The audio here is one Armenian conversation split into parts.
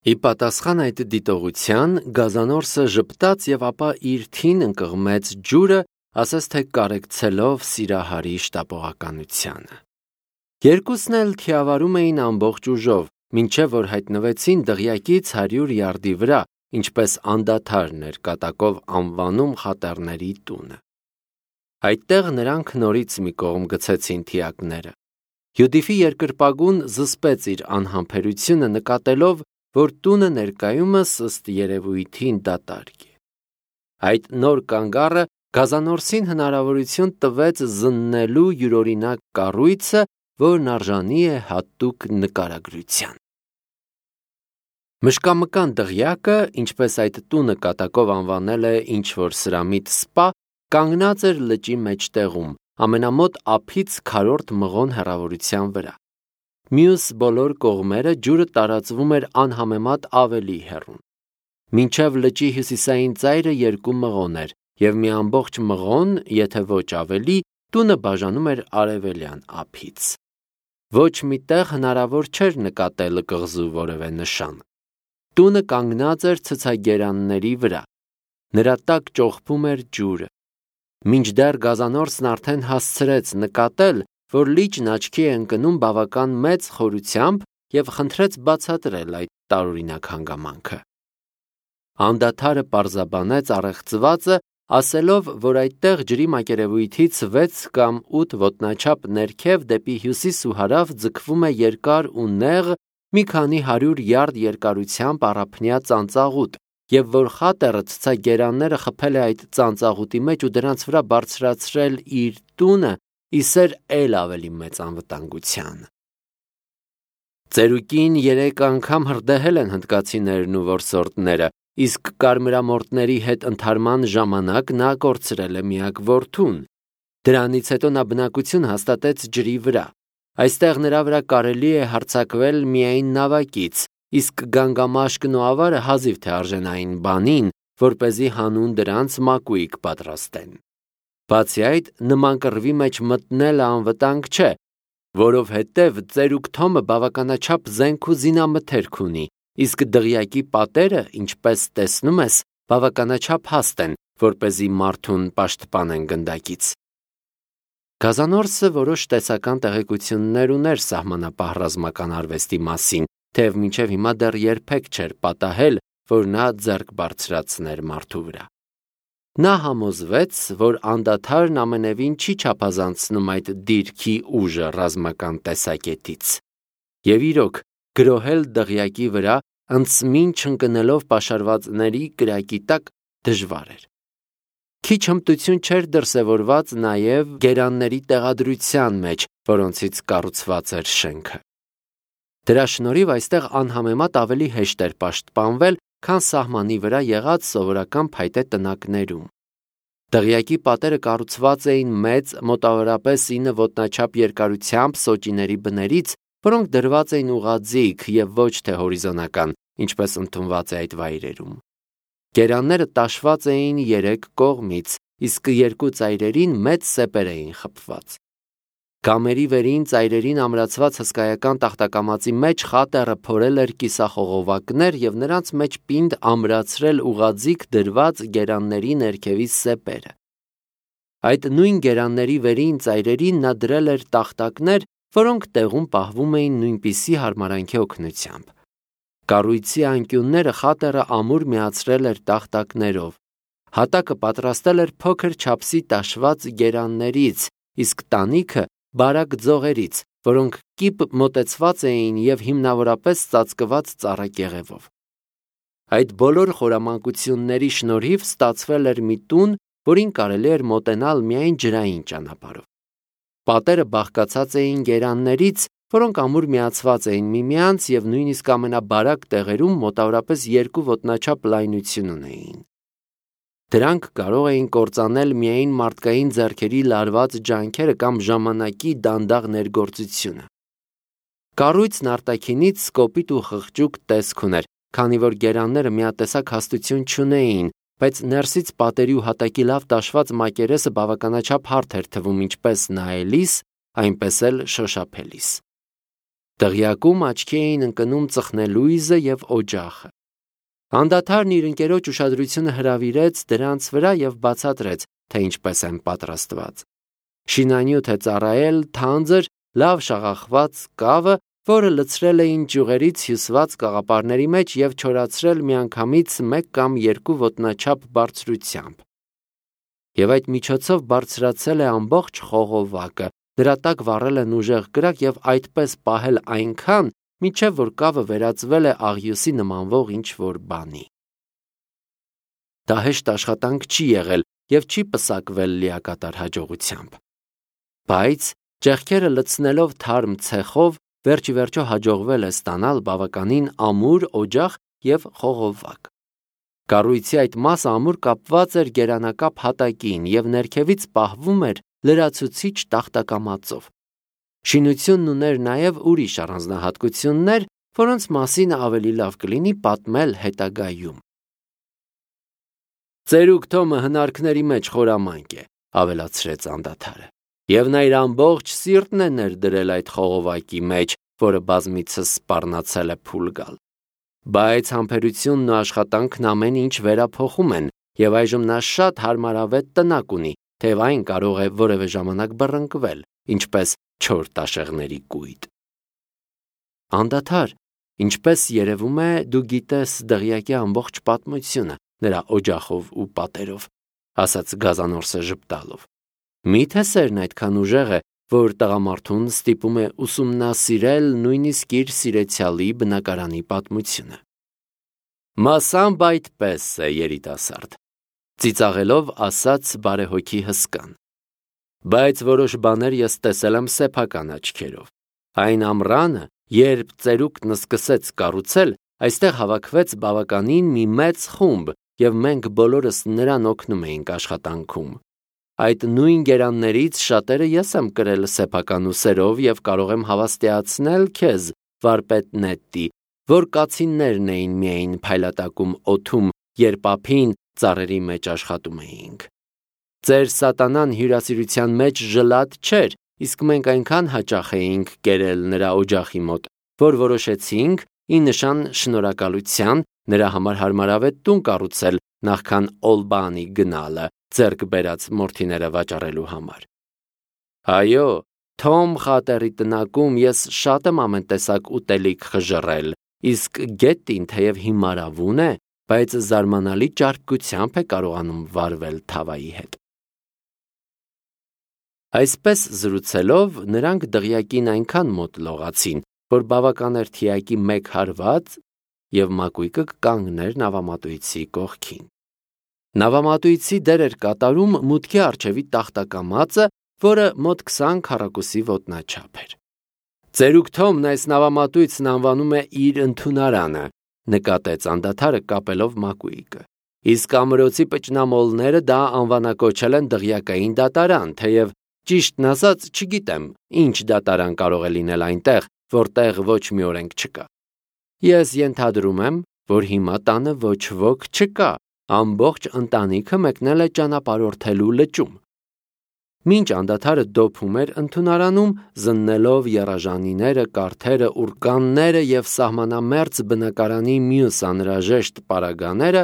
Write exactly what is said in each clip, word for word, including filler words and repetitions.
Ի պատասխան այդ դիտողության գազանորսը ժպտաց եւ ապա իր թին ընկղմեց ջուրը, ասես թե կարեկցելով Սիրահարի շտապողականությանը։ Երկուսն էլ թիավարում էին ամբողջ ուժով, մինչև որ հայտնվեցին դղյակից հարյուր յարդի վրա, ինչպես անդադար ներկատակով անվանում խատեռների տունը։ Այդտեղ նրանք նորից մի կողմ գցեցին թիակները։ Յուդիֆի երկրպագուն զսպեց իր անհամբերությունը, նկատելով, որ տունը ներկայումս ըստ երևույթին դատարկ է։ Այդ նոր կանգառը գազանորսին հնարավորություն տվեց զննելու յուրօրինակ կառույցը, որն արժանի է հատուկ նկարագրության։ Մշկամկան դղյակը, ինչպես այդ տունը կատակով անվանել է ինչ-որ սրամիտ սպա, կանգնած էր լճի մեջտեղում, ամենամոտ ափից քառորդ մղոն հեռավորության վրա։ Մյուս բոլոր կողմերը ջուրը տարածվում էր անհամեմատ ավելի հեռուն։ Մինչև լճի հյուսիսային ծայրը երկու մղոն էր, և մի ամբողջ մղոն, եթե ոչ ավելի, տունը բաժանում էր արևելյան ափից։ Ոչ մի տեղ հնարավոր չէր նկատել կղզու որևէ նշան։ Տունը կանգնած էր ցցագերանների վրա։ Նրա տակ ճոխփում էր ջուրը։ Մինչդեռ գազանորսն արդեն հասցրեց նկատել, որ լիճն աչքի է ընկնում բավական մեծ խորությամբ և խնդրեց բացատրել այդ տարօրինակ հանգամանքը։ Անդադարը պարզաբանեց առեղծվածը, ասելով, որ այդտեղ ջրի մակերևույթից վեց կամ ութ ոտնաչափ ներքև դեպի հյուսիս ու հարավ ձգվում է երկար ու նեղ, մի քանի հարյուր յարդ երկարությամբ առափնյա ծանծաղուտ, և որ խատեռը ցցագերանները խփել է այդ ծանծաղուտի մեջ ու դրանց վրա բարձրացրել իր տունը, ի սեր էլ ավելի մեծ անվտանգության։ Ծերուկին երեք անգամ հրդեհել են հնդկացիներն ու որսորդները, իսկ կարմրամորթների հետ ընդհարման ժամանակ նա կորցրել է միակ որդուն։ Դրանից հետո նա բնակություն հաստատեց ջրի վրա։ Այստեղ նրա վրա կարելի է հարձակվել միայն նավակից, իսկ գանգամաշկն ու ավարը հազիվ թե արժեն այն բանին, որպեսզի հանուն դրանց մակույկ պատրաստեն։ Բացի այդ, նման կռվի մեջ մտնելը անվտանգ չէ, որովհետև ծերուկ Թոմը բավականաչափ զենք ու զինամթերք ունի, իսկ դղյակի պատերը, ինչպես տեսնում ես, բավականաչափ հաստ են, որպեսզի մարդուն պաշտպանեն գնդակից։ Գազանորսը որոշ տեսական տեղեկություններ ուներ սահմանապահ ռազմական արվեստի մասին, թեև մինչև հիմա դեռ երբեք չէր պատահել, որ նա ձեռք բարձրացներ մարդու վրա։ Նա համոզվեց, որ անդադարն ամենևին չի չափազանցնում այդ դիրքի ուժը ռազմական տեսակետից։ Եվ իրոք, գրոհել դղյակի վրա, ընծմին չընկնելով պաշարվածների կրակի տակ, դժվար էր։ Քիչ հմտություն չէր դրսևորված նաև գերանների տեղադրության մեջ, որոնցից կառուցված էր շենքը։ Դրա շնորհիվ այստեղ անհամեմատ ավելի հեշտ էր պաշտպանվել, քան սահմանի վրա եղած սովորական փայտե տնակներում։ Դղյակի պատերը կառուցված էին մեծ, մոտավորապես ինը ոտնաչափ երկարությամբ սոճիների բներից, որոնք դրված էին ուղղաձիգ և ոչ թե հորիզոնական, ինչպես ընդունված է այդ վայրերում։ Գերանները տաշված էին երեք կողմից, իսկ երկու ծայրերին մեծ սեպեր էին խփված։ Կամերի վերին ծայրերին ամրացված հսկայական տախտակամածի մեջ խատեռը փորել էր կիսախողովակներ և նրանց մեջ պինդ ամրացրել ուղղաձիգ դրված գերանների ներքևի սեպերը։ Այդ նույն գերանների վերին ծայրերին նա դրել էր տախտակներ, որոնք տեղում պահվում էին նույնպիսի հարմարանքի օգնությամբ։ Կառույցի անկյունները խատեռը ամուր միացրել էր տախտակներով։ Հատակը պատրաստել էր փոքր չափսի տաշված գերաններից, իսկ տանիքը բարակ ձողերից, որոնք կիպ մոտեցված էին և հիմնավորապես ծածկված ծառակեղևով։ Այդ բոլոր խորամանկությունների շնորհիվ ստացվել էր մի տուն, որին կարելի էր մոտենալ միայն ջրային ճանապարհով։ Պատերը բաղկացած էին գերաններից, որոնք ամուր միացված էին միմյանց և նույնիսկ ամենաբարակ տեղերում մոտավորապես երկու ոտնաչափ լայնություն ունեին։ Դրանք կարող էին կործանել միայն մարդկային ձեռքերի լարված ջանքերը կամ ժամանակի դանդաղ ներգործությունը։ Կառույցն արտաքինից կոպիտ ու խղճուկ տեսք ուներ, քանի որ գերանները միատեսակ հաստություն չունեին, բայց ներսից պատերի ու հատակի լավ տաշված մակերեսը բավականաչափ հարթ էր թվում ինչպես նայելիս, այնպես էլ շոշափելիս։ Դղյակում աչքի էին ընկնում ծխնելույզը եւ օջախը։ Անդադարն իր ընկերոջ ուշադրությունը հրավիրեց դրանց վրա եւ բացատրեց, թե ինչպես են պատրաստված։ Շինանյութ է ծառայել թանձր, լավ շաղախված կավը, որը լցրել էին ճյուղերից հյուսված կաղապարների մեջ եւ չորացրել միանգամից մեկ կամ երկու ոտնաչափ բարձրությամբ։ Եվ այդ միջոցով բարձրացել է ամբողջ խողովակը, դրա տակ վառել են ուժեղ կրակ եւ այդպես պահել այնքան, մինչև որ կավը վերածվել է աղյուսի նմանվող ինչ-որ բանի։ Դա հեշտ աշխատանք չի եղել եւ չի պսակվել լիակատար հաջողությամբ։ Բայց ճեղքերը լցնելով թարմ ցեխով վերջիվերջո հաջողվել է ստանալ բավականին ամուր օջախ եւ խողովակ։ Կառույցի այդ մասը ամուր կապված էր գերանակապ հատակին եւ ներքևից պահվում էր լրացուցիչ տախտակամածով։ Շինությունն ուներ նաեւ ուրիշ առանձնահատկություններ, որոնց մասին ավելի լավ կլինի պատմել հետագայում։ Ծերուկ Թոմը հնարքների մեջ խորամանկ է, ավելացրեց անդադարը, եւ նա իր ամբողջ սիրտն է ներդրել այդ խողովակի մեջ, որը բազմիցս սպառնացել է փուլ գալ։ Բայց համբերությունն ու աշխատանքն ամեն ինչ վերափոխում են, եւ այժմ նա շատ հարմարավետ տնակ ունի, թեև այն կարող է որևէ ժամանակ բռնկվել, ինչպես չոր տաշեղների կույտ։ Անդադար, ինչպես երևում է, դու գիտես դղյակի ամբողջ պատմությունը, նրա օջախով ու պատերով, ասաց Գազանորսը ժպտալով։ Միթե սերն այդքան ուժեղ է, որ տղամարդուն ստիպում է ուսումնասիրել նույնիսկ իր սիրեցյալի բնակարանի պատմությունը։ Մասամբ այդպես է, երիտասարդ, ծիծաղելով ասաց բարեհոգի հսկան։ Բայց որոշ բաներ ես տեսել եմ սեփական աչքերով։ Այն ամռանը, երբ ծերուկն սկսեց կառուցել, այստեղ հավաքվեց բավականին մի մեծ խումբ, եւ մենք բոլորս նրան օգնում էինք աշխատանքում։ Այդ նույն գերաններից շատերը ես եմ կրել սեփական ուսերով եւ կարող եմ հավաստիացնել քեզ, վարպետ Նետտի, որ կացիններն էին միայն փայլատակում օդում, երբ ափին ծառերի մեջ աշխատում էինք։ Ձեր սատանան հյուրասիրության մեջ ժլատ չէր, իսկ մենք այնքան հաճախ էինք կերել նրա օջախի մոտ, որ որոշեցինք ի նշան շնորհակալության նրա համար հարմարավետ տուն կառուցել, նախքան Օլբանի գնալը ձեռք բերած մորթիները վաճառելու համար։ Այո, Թոմ խատերի տնակում ես շատ եմ ամեն տեսակ ուտելիք խժռել, իսկ Գետտին թեև հիմարավուն է, բայց զարմանալի ճարպկությամբ է կարողանում վարվել թավայի հետ։ Այսպես զրուցելով նրանք դղյակին այնքան մոտ լողացին, որ բավական էր թիակի մեկ հարված եւ մակույկը կանգներ նավամատույցի կողքին։ Նավամատույցի դեր էր կատարում մուտքի առջևի տախտակամածը, որը մոտ քսան քառակուսի ոտնաչափ էր։ Ծերուկ Թոմն այս նավամատույցն անվանում է իր ընդունարանը, նկատեց անդադարը կապելով մակույկը։ Իսկ ամրոցի պճնամոլները դա անվանակոչել են դղյակային դատարան, թեև ճիշտն ասած չգիտեմ, ինչ դատարան կարող է լինել այնտեղ, որտեղ ոչ մի օրենք չկա։ Ես ենթադրում եմ, որ հիմա տանը ոչ ոք չկա, ամբողջ ընտանիքը մեկնել է ճանապարհորդելու լճում։ Մինչ անդադարը դոփում էր ընդունարանում, զննելով եռաժանիները, կարթերը, ուրկանները եւ սահմանամերձ բնակարանի մյուս անհրաժեշտ պարագաները,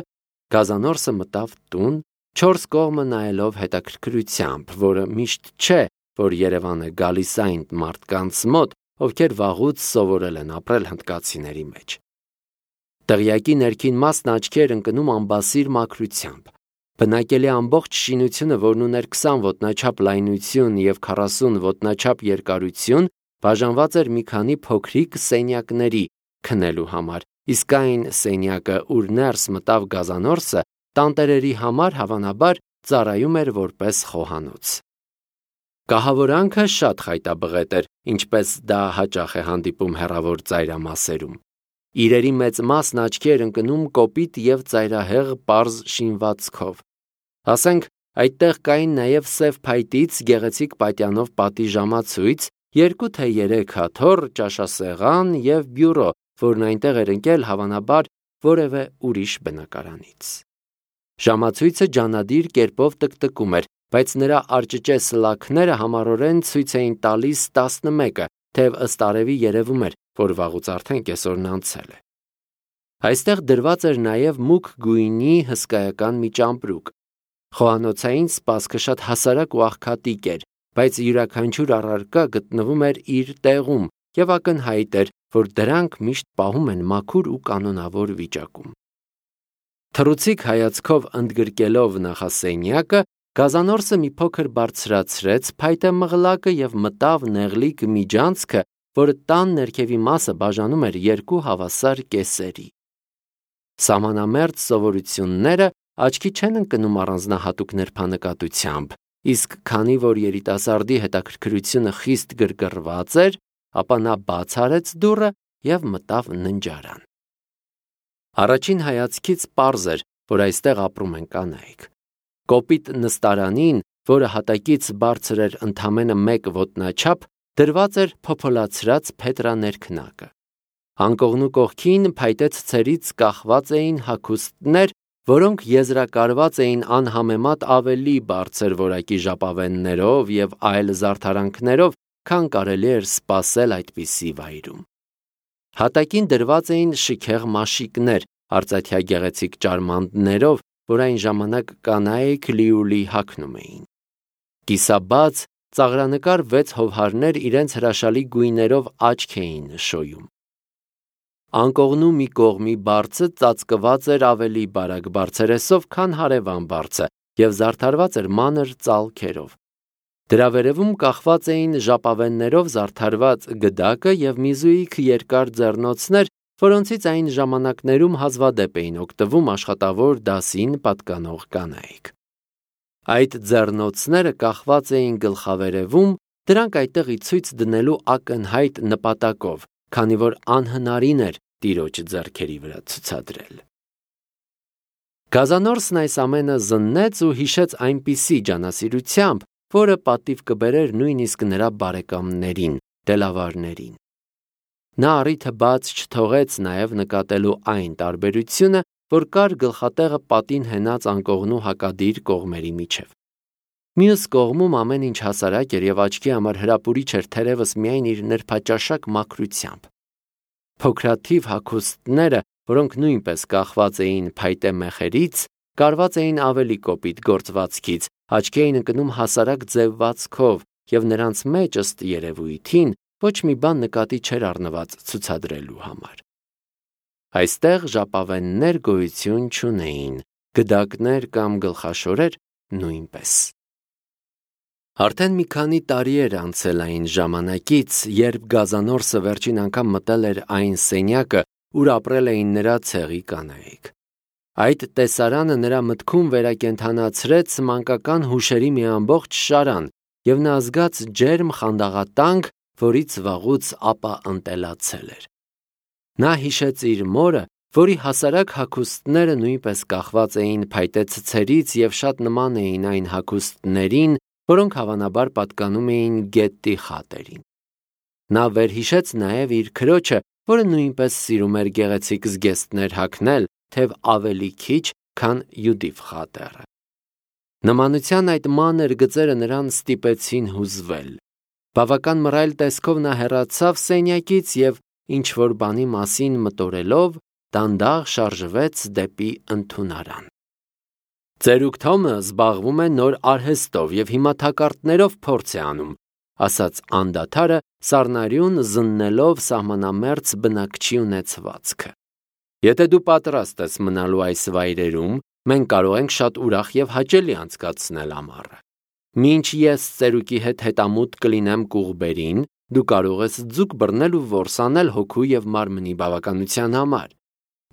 Գազանորսը մտավ տուն, չորս կողմը նայելով հետաքրքրությամբ, որը միշտ չէ, որ Երևանը գալիս այն մարդկանց մոտ, ովքեր վաղուց սովորել են ապրել հնդկացիների մեջ։ Դղյակի ներքին մասն աչքի էր ընկնում ամբասիր մաքրությամբ։ Բնակելի ամբողջ շինությունը, որն ուներ քսան ոտնաչափ լայնություն եւ քառասուն ոտնաչափ երկարություն, բաժանված էր մի քանի փոքրիկ սենյակների քնելու համար, իսկ այն սենյակը, ուր ներս մտավ Գազանորսը, տանտերերի համար հավանաբար ծառայում էր որպես խոհանոց։ Կահավորանքը շատ խայտաբղետ էր, ինչպես դա հաճախ է հանդիպում հեռավոր ծայրամասերում։ Իրերի մեծ մասն աչքի էր ընկնում կոպիտ եւ ծայրահեղ պարզ շինվածքով։ Ասենք, այդտեղ կային նաեւ սև փայտից գեղեցիկ պատյանով պատի ժամացույց, երկու թե երեք հաթոռ, ճաշասեղան եւ բյուրո, որն այնտեղ էր ընկել հավանաբար որևէ ուրիշ բնակարանից։ Ժամացույցը ջանադիր կերպով տկտկում էր, բայց նրա արջճե սլաքները համառորեն ցույց էին տալիս տասնմեկը, թեև ըստ արևի երևում էր, որ վաղուց արդեն կեսօրն անցել է։ Այստեղ դրված էր նաև մուգ գույնի հսկայական մի ճամպրուկ։ Խոհանոցային սպասքը շատ հասարակ ու աղքատիկ էր, բայց յուրաքանչյուր առարկա գտնվում էր իր տեղում և ակնհայտ էր, որ դրանք միշտ պահում են մաքուր ու կանոնավոր վիճակում։ Թռուցիկ հայացքով ընդգրկելով նախասենյակը, գազանորսը մի փոքր բարձրացրեց փայտե մղլակը և մտավ նեղլիկ միջանցքը, որը տան ներքևի մասը բաժանում էր երկու հավասար կեսերի։ Սահմանամերձ սովորությունները աչքի չեն ընկնում առանձնահատուկ նրբանկատությամբ, իսկ քանի որ երիտասարդի հետաքրքրությունը խիստ գրգռված էր, ապա նա բաց արեց դուռը և մտավ ննջարան։ Առաջին հայացքից պարզ էր, որ այստեղ ապրում են կանայք։ Կոպիտ նստարանին, որը հատակից բարձր էր ընդամենը մեկ ոտնաչափ, դրված էր փոփոլացրած փետրա ներքնակը։ Անկողնու կողքին փայտե ցցերից կախված էին հագուստներ, որոնք եզրակարված էին անհամեմատ ավելի բարձր որակի ժապավեններով և այլ զարդարանքներով, քան կարելի էր սպասել այդպիսի վայրում։ Հատակին դրված էին շքեղ մաշիկներ, արծաթյա գեղեցիկ ճարմանդներով, որ այն ժամանակ կանայք լիուլի հագնում էին։ Կիսաբաց, ծաղրանկար վեց հովհարներ իրենց հրաշալի գույներով աչք էին շոյում։ Անկողնու մի կողմի բարձը ծածկված էր ավելի բարակ բարձերեսով, քան հարևան բարձը և զարդարված էր մանր ծալքերով։ Դրա վերևում կախված էին ժապավեններով զարդարված գդակը և մի զույգ երկար ձեռնոցներ, որոնցից այն ժամանակներում հազվադեպ էին օգտվում աշխատավոր դասին պատկանող կանայք։ Այդ ձեռնոցները կախված էին գլխավերևում, դրանք այդտեղ ի ցույց դնելու ակնհայտ նպատակով, քանի որ անհնարին էր տիրոջ ձեռքերի վրա ցուցադրել։ Գազանորսն այս ամենը զննեց ու հիշեց այնպիսի ջանասիրությամբ, որը պատիվ կբերեր նույնիսկ նրա բարեկամներին, դելավարներին։ Նա առիթը բաց չթողեց նաև նկատելու այն տարբերությունը, որ կար գլխատեղը պատին հենած անկողնու հակադիր կողմերի միջև։ Մյուս կողմում ամեն ինչ հասարակ էր և աչքի համար հրապուրիչ էր թերևս միայն իր նրբաճաշակ մաքրությամբ։ Փոքրաթիվ հագուստները, որոնք նույնպես կախված էին փայտե մեխերից, կարված էին ավելի կոպիտ գործվածքից, աչքի էին ընկնում հասարակ ձևվածքով և նրանց մեջ, ըստ երևույթին, ոչ մի բան նկատի չէր առնված ցուցադրելու համար։ Այստեղ ժապավեններ գոյություն չունեին, գդակներ կամ գլխաշորեր նույնպես։ Արդեն մի քանի տարի էր անցել այն ժամանակից, երբ Գազանորսը վերջին անգամ մտել էր այն սենյակը, ուր ապրել էին նրա ցեղի կանայք։ Այդ տեսարանը նրա մտքում վերակենդանացրեց մանկական հուշերի մի ամբողջ շարան, և նա զգաց ջերմ խանդաղատանք, որից վաղուց ապա ընտելացել էր։ Նա հիշեց իր մորը, որի հասարակ հագուստները նույնպես կախված էին փայտե ցցերից և շատ նման էին այն հագուստներին, որոնք հավանաբար պատկանում էին գետի խատերին։ Նա վերհիշեց նաև իր քրոջը, որը նույնպես սիրում էր գեղեցիկ զգեստներ հագնել, թեև ավելի քիչ, քան Յուդիֆ խատերը։ Նմանության այդ մանր գծերը նրան ստիպեցին հուզվել։ Բավական մռայլ տեսքով նա հեռացավ սենյակից և, ինչ-որ բանի մասին մտորելով, դանդաղ շարժվեց դեպի ընդունարան։ «Ծերուկ Թոմը զբաղվում է նոր արհեստով և հիմա թակարդներով փորձ է անում», ասաց անդադարը, սառնարյուն զննելով սահմանամերձ բնակչի ունեցվածքը։ «Եթե դու պատրաստ ես մնալու այս վայրերում, մենք կարող ենք շատ ուրախ և հաճելի անցկացնել ամառը։ Մինչ ես ծերուկի հետ հետամուտ կլինեմ Կուղբերին, դու կարող ես ձուկ բռնել ու որս անել հոգու և մարմնի բավականության համար։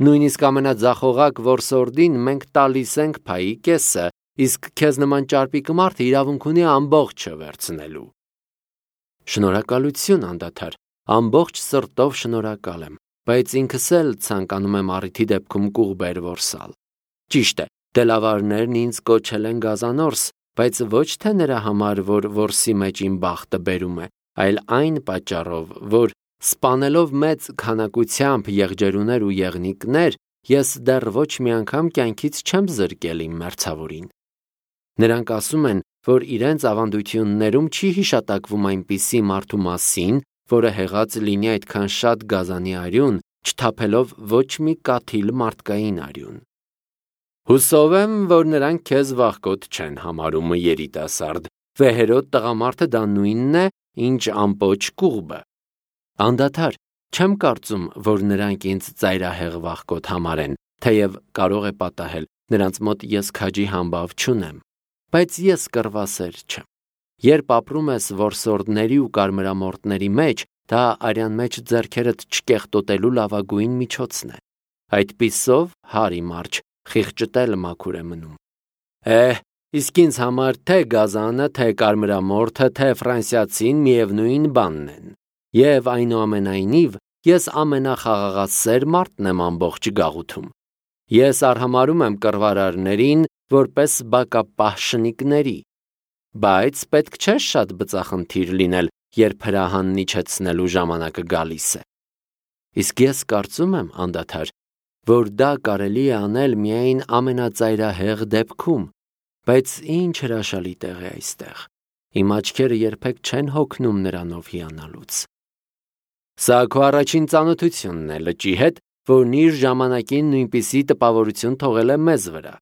Նույնիսկ ամենաձախողակ որսորդին մենք տալիս ենք փայի կեսը, իսկ քեզ նման ճարպիկ մարդը իրավունք ունի ամբողջը վերցնելու»։ Շնորհակալություն, անդադար, ամբողջ սրտով շնորհակալ եմ, բայց ինքս էլ ցանկանում եմ առիթի դեպքում Կուղբեր որսալ։ Ճիշտ է, դելավարներն ինձ կոչել են Գազանորս, բայց ոչ թե նրա համար, որ որսի մեջ իմ բախտը բերում է, այլ այն պատճառով, որ սպանելով մեծ քանակությամբ եղջերուներ ու եղնիկներ, ես դեռ ոչ մի անգամ կյանքից չեմ զրկել իմ մերձավորին։ Նրանք ասում են, որ իրենց ավանդություններում չի հիշատակվում այնպիսի մարդու մասին, որը հեղած լինի այդքան շատ գազանի արյուն, չթափելով ոչ մի կաթիլ մարդկային արյուն։ Հուսով եմ, որ նրանք քեզ վախկոտ չեն համարում երիտասարդ, վեհերոտ տղամարդը դա նույնն է, ինչ ամպոչ կուղբը։ Անդադար, չեմ կարծում, որ նրանք ինձ ծայրահեղ վախկոտ համարեն, թեև կարող է պատահել, նրանց մոտ ես քաջի համբավ չունեմ, բայց ես կռվասեր չեմ։ Երբ ապրում ես որսորդների ու կարմրամորտների մեջ, դա արյան մեջ ձեռքերդ չկեղտոտելու լավագույն միջոցն է։ Այդպիսով, հարի մարջ, խիղճտել մաքուր է մնում։ Էհ, իսկ ինձ համար թե գազանը, թե կարմրամորթը, թե ֆրանսիացին միևնույն բանն են։ Եվ այնուամենայնիվ, ես ամենախաղաղասեր մարդն եմ ամբողջ գաղութում։ Ես արհամարհում եմ կռվարարներին որպես բակապահ շնիկների, բայց պետք չէ շատ բծախնդիր լինել, երբ հրահանն իջեցնելու ժամանակը գալիս է։ Իսկ ես կարծում եմ, անդադար, որ դա կարելի է անել միայն ամենածայրահեղ դեպքում, բայց ինչ հրաշալի տեղ է այստեղ։ Իմ աչքերը երբեք չեն հոգնում նրանով հիանալուց։ Սա քո առաջին ծանոթությունն է լճի հետ, որն իր ժամանակին նույնպիսի տպավորություն թողել է մեզ վրա։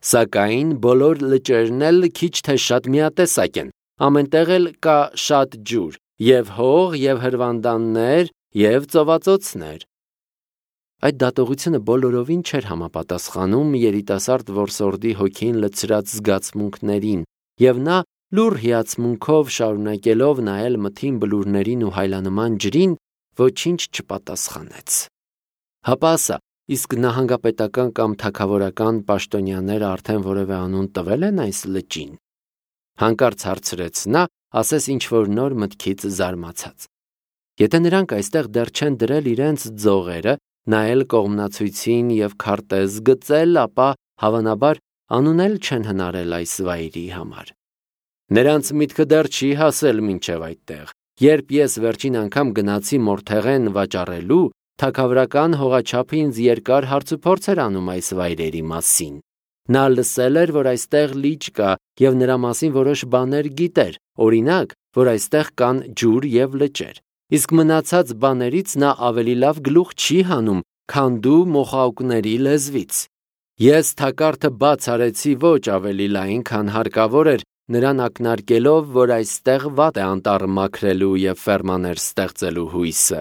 Սակայն բոլոր լճերն էլ քիչ թե շատ միատեսակ են, ամենտեղ էլ կա շատ ջուր, եւ հող, եւ հրվանդաններ, եւ ծովածոցներ։ Այդ դատողությունը բոլորովին չէր համապատասխանում երիտասարդ որսորդի հոգին լցրած զգացմունքներին, եւ նա լուռ հիացմունքով շարունակելով նայել մթին բլուրներին ու հայլանման ջրին, ոչինչ չպատասխանեց։ Հապա ասա, իսկ նահանգապետական կամ թագավորական պաշտոնյաները արդեն որևէ անուն տվել են այս լճին։ Հանկարծ հարցրեց նա, ասես ինչ-որ նոր մտքից զարմացած։ Եթե նրանք այստեղ դեռ չեն դրել իրենց ձողերը, նայել կողմնացույցին եւ քարտեզ գծել, ապա հավանաբար անուն էլ չեն հնարել այս վայրի համար։ Նրանց միտքը դեռ չի հասել մինչև այդտեղ։ Երբ ես վերջին անգամ գնացի Մորթեղեն վաճառելու, թագավորական հողաչափը ինձ երկար հարցուփորձ էր անում այս վայրերի մասին։ Նա լսել էր, որ այստեղ լիճ կա եւ նրա մասին որոշ բաներ գիտեր, օրինակ, որ այստեղ կան ջուր եւ լճեր։ Իսկ մնացած բաներից նա ավելի լավ գլուխ չի հանում, քան դու մոխաուկների լեզվից։ Ես թակարդը բաց արեցի ոչ ավելի լայն, քան հարկավոր էր, նրան ակնարկելով, որ այստեղ վատ է անտառը մաքրելու եւ ֆերմաներ ստեղծելու հույսը։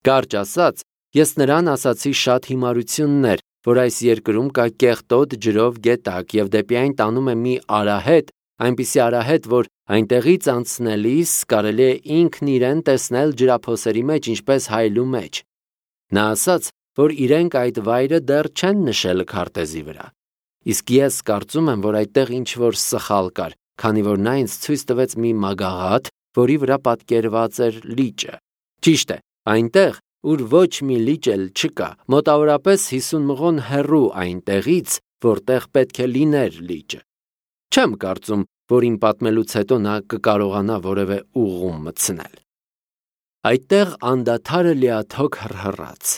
Կարճ ասած, ես նրան ասացի շատ հիմարություններ, որ այս երկրում կա կեղտոտ ջրով գետակ եւ դեպի այն տանում է մի արահետ, այնպիսի արահետ, որ այնտեղից անցնելիս կարելի է ինքն իրեն տեսնել ջրափոսերի մեջ, ինչպես հայլու մեջ։ Նա ասաց, որ իրենք այդ վայրը դեռ չեն նշել քարտեզի վրա։ Իսկ ես կարծում եմ, որ այդտեղ ինչ-որ սխալ կար, քանի որ նա ինձ ցույց տվեց մի մագաղաթ, որի վրա պատկերված էր լիճը։ Ճիշտ է, այնտեղ, ուր ոչ մի լիճ էլ չկա, մոտավորապես հիսուն մղոն հեռու այնտեղից, որտեղ պետք է լիներ լիճը։ Չեմ կարծում, որ իմ պատմելուց հետո նա կկարողանա որևէ ուղում մտցնել։ Այդտեղ անդադարը լիաթոք հռհռաց։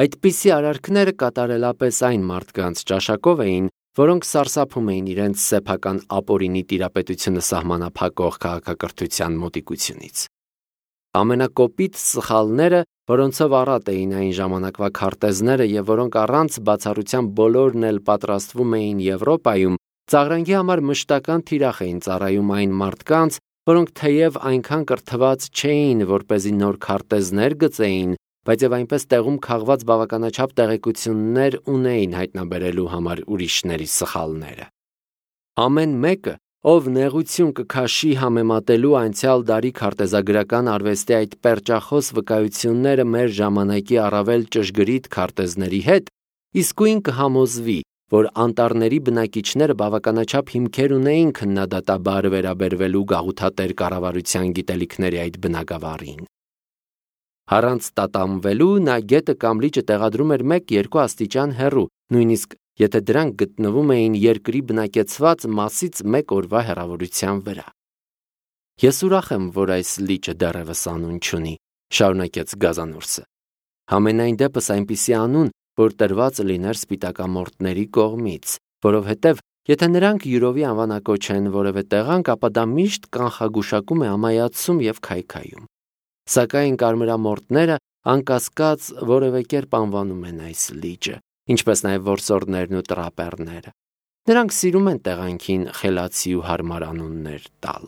Այդպիսի արարքները կատարելապես այն մարդկանց ճաշակով էին, որոնք սարսափում էին իրենց սեփական ապօրինի տիրապետությունը սահմանափակող քաղաքակրթության մոտիկությունից։ Ամենակոպիտ սխալները, որոնցով առատ էին այն ժամանակվա քարտեզները եւ որոնք առանց բացառության բոլորն էլ պատրաստվում էին Եվրոպայում, ծաղրանքի համար մշտական թիրախ էին ծառայում այն մարդկանց, որոնք թեև այնքան կրթված չէին, որպեսզի նոր քարտեզներ գծեին, բայց եւ այնպես տեղում քաղված բավականաչափ տեղեկություններ ունեին հայտնաբերելու համար ուրիշների սխալները։ Ամեն մեկը, ով նեղություն կքաշի համեմատելու անցյալ դարի քարտեզագրական արվեստի այդ պերճախոս վկայությունները մեր ժամանակի առավել ճշգրիտ քարտեզների հետ, իսկույն կհամոզվի, որ անտառների բնակիչները բավականաչափ հիմքեր ունեին քննադատաբար վերաբերվելու գաղութատեր կառավարության գիտելիքների այդ բնագավառին։ Առանց տատանվելու նա գետը կամ լիճը տեղադրում էր մեկ-երկու աստիճան հեռու, նույնիսկ եթե դրանք գտնվում էին երկրի բնակեցված մասից մեկ օրվա հեռավորության վրա։ Ես ուրախ եմ, որ այս լիճը դեռևս անուն չունի, շարունակեց Գազանուրսը։ Համենայն դեպս այնպիսի անուն, որ տրված լիներ սպիտակամորտների կողմից, որովհետև եթե նրանք յուրովի անվանակոչեն որևէ տեղանք, ապա դա միշտ կանխագուշակում է ամայացում եւ քայքայում։ Սակայն կարմրամորտները անկասկած որևէ կերպ անվանում են այս լիճը, ինչպես նաև որսորդներն ու տրապեռները։ Նրանք սիրում են տեղանքին խելացի ու հարմար անուններ տալ։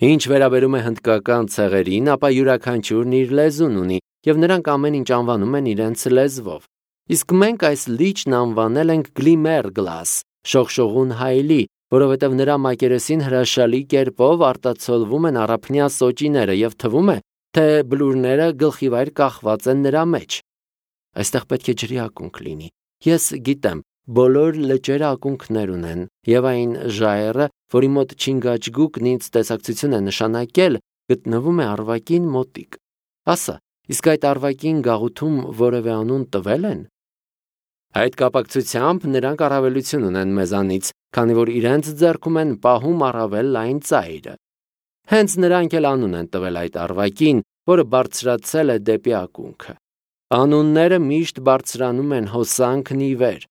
Ինչ վերաբերում է հնդկական ցեղերին, ապա յուրաքանչյուրն իր լեզուն ունի, եւ նրանք ամեն ինչ անվանում են իրենց լեզվով։ Իսկ մենք այս լիճն անվանել ենք Գլիմերգլաս, շողշողուն հայելի, որովհետև նրա մակերեսին հրաշալի կերպով արտացոլվում են առափնյա սոճիները եւ թվում է, թե բլուրները գլխիվայր կախված են նրա մեջ։ Այստեղ պետք է ջրի ակունք լինի։ Ես գիտեմ, բոլոր լճերը ակունքներ ունեն, եւ այն ժայռը, որի մոտ Չինգաչգուկն ինձ տեսակցություն է նշանակել, գտնվում է Արվակին մոտիկ։ Ասա, իսկ այդ Արվակին գաղութում որևէ անուն տվել են։ Այդ կապակցությամբ նրանք առավելություն ունեն մեզանից, քանի որ իրենց ձեռքում են պահում առավել լայն ծայրը։ Հենց նրանք էլ անուն են տվել այդ Արվակին, որը բարձրացել է դեպի ակունքը։ Անունները միշտ բարձրանում են հոսանքն ի վեր։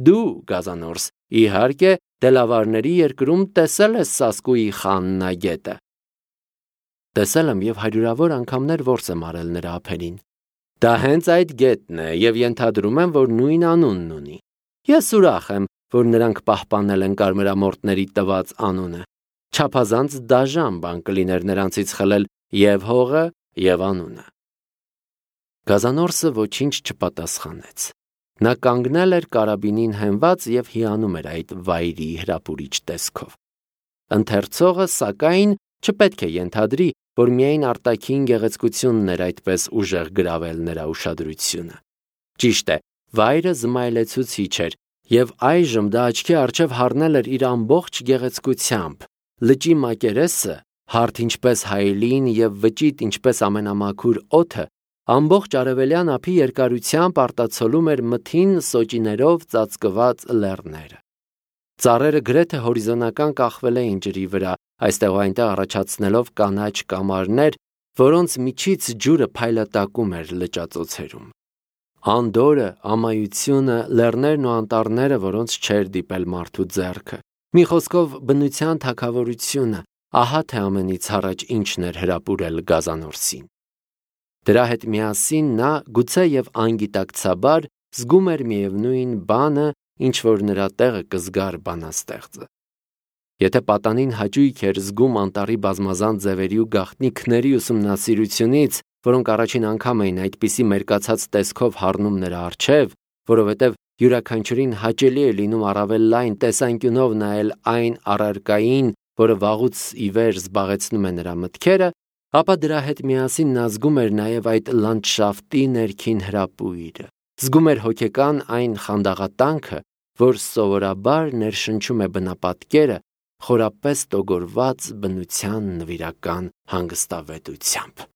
Դու, Գազանորս, իհարկե, Դելավարների երկրում տեսել ես Սասկուի խաննագետը։ Տեսել եմ եւ հարյուրավոր անգամներ որս եմ արել նրա ափերին։ Դա հենց այդ գետն է եւ ենթադրում եմ, որ նույն անունն ունի։ Ես ուրախ եմ, որ նրանք պահպանել են կարմրամորտների տված անունը։ Չափազանց դաժան բան կլիներ նրանցից խլել եւ հողը, եւ անունը։ Գազանորսը ոչինչ չպատասխանեց։ Նա կանգնել էր կարաբինին հենված եւ հիանում էր այդ վայրի հրապուրիչ տեսքով։ Ընթերցողը, սակայն, չպետք է ենթադրի, որ միայն արտաքին գեղեցկությունն էր այդպես ուժեղ գրավել նրա ուշադրությունը։ Ճիշտ է, վայրը զմայլեցուցիչ էր, եւ այժմ դա աչքի առջև հառնել էր իր ամբողջ գեղեցկությամբ։ Լճի մակերեսը, հարթ ինչպես հայելին եւ վճիտ ինչպես ամենամաքուր օդը, ամբողջ արևելյան ափի երկարությամբ արտացոլում էր մթին սոճիներով ծածկված լեռները։ Ծառերը գրեթե հորիզոնական կախվել էին ջրի վրա, այստեղ ու այնտեղ առաջացնելով կանաչ կամարներ, որոնց միջից ջուրը փայլատակում էր լճածոցերում։ Անդորը, ամայությունը, լեռներն ու անտառները, որոնց չէր դիպել մարդու ձեռքը։ Մի խոսքով բնության թագավորությունը, ահա թե ամենից առաջ ինչն էր հրապուրել Գազանորսին։ Դրա հետ միասին նա գուցե եւ անգիտակցաբար զգում էր միևնույն բանը, ինչ որ նրա տեղը կզգար բանաստեղծը։ Եթե պատանին հաճույք էր զգում անտառի բազմազան ձևերի ու գաղտնիքների ուսումնասիրությունից, որոնք առաջին անգամ էին այդպիսի մերկացած տեսքով հառնում նրա առջև, որովհետև յուրաքանչյուրին հաճելի է լինում առավել լայն տեսանկյունով նայել այն առարկային, որը վաղուց ի վեր զբաղեցնում է նրա մտքերը, ապա դրա հետ միասին նա զգում էր նաև այդ լանդշաֆտի ներքին հրապույրը, զգում էր հոգեկան այն խանդաղատանքը, որ սովորաբար ներշնչում է բնապատկերը խորապես տոգորված բնության նվիրական հանգստավետությամբ։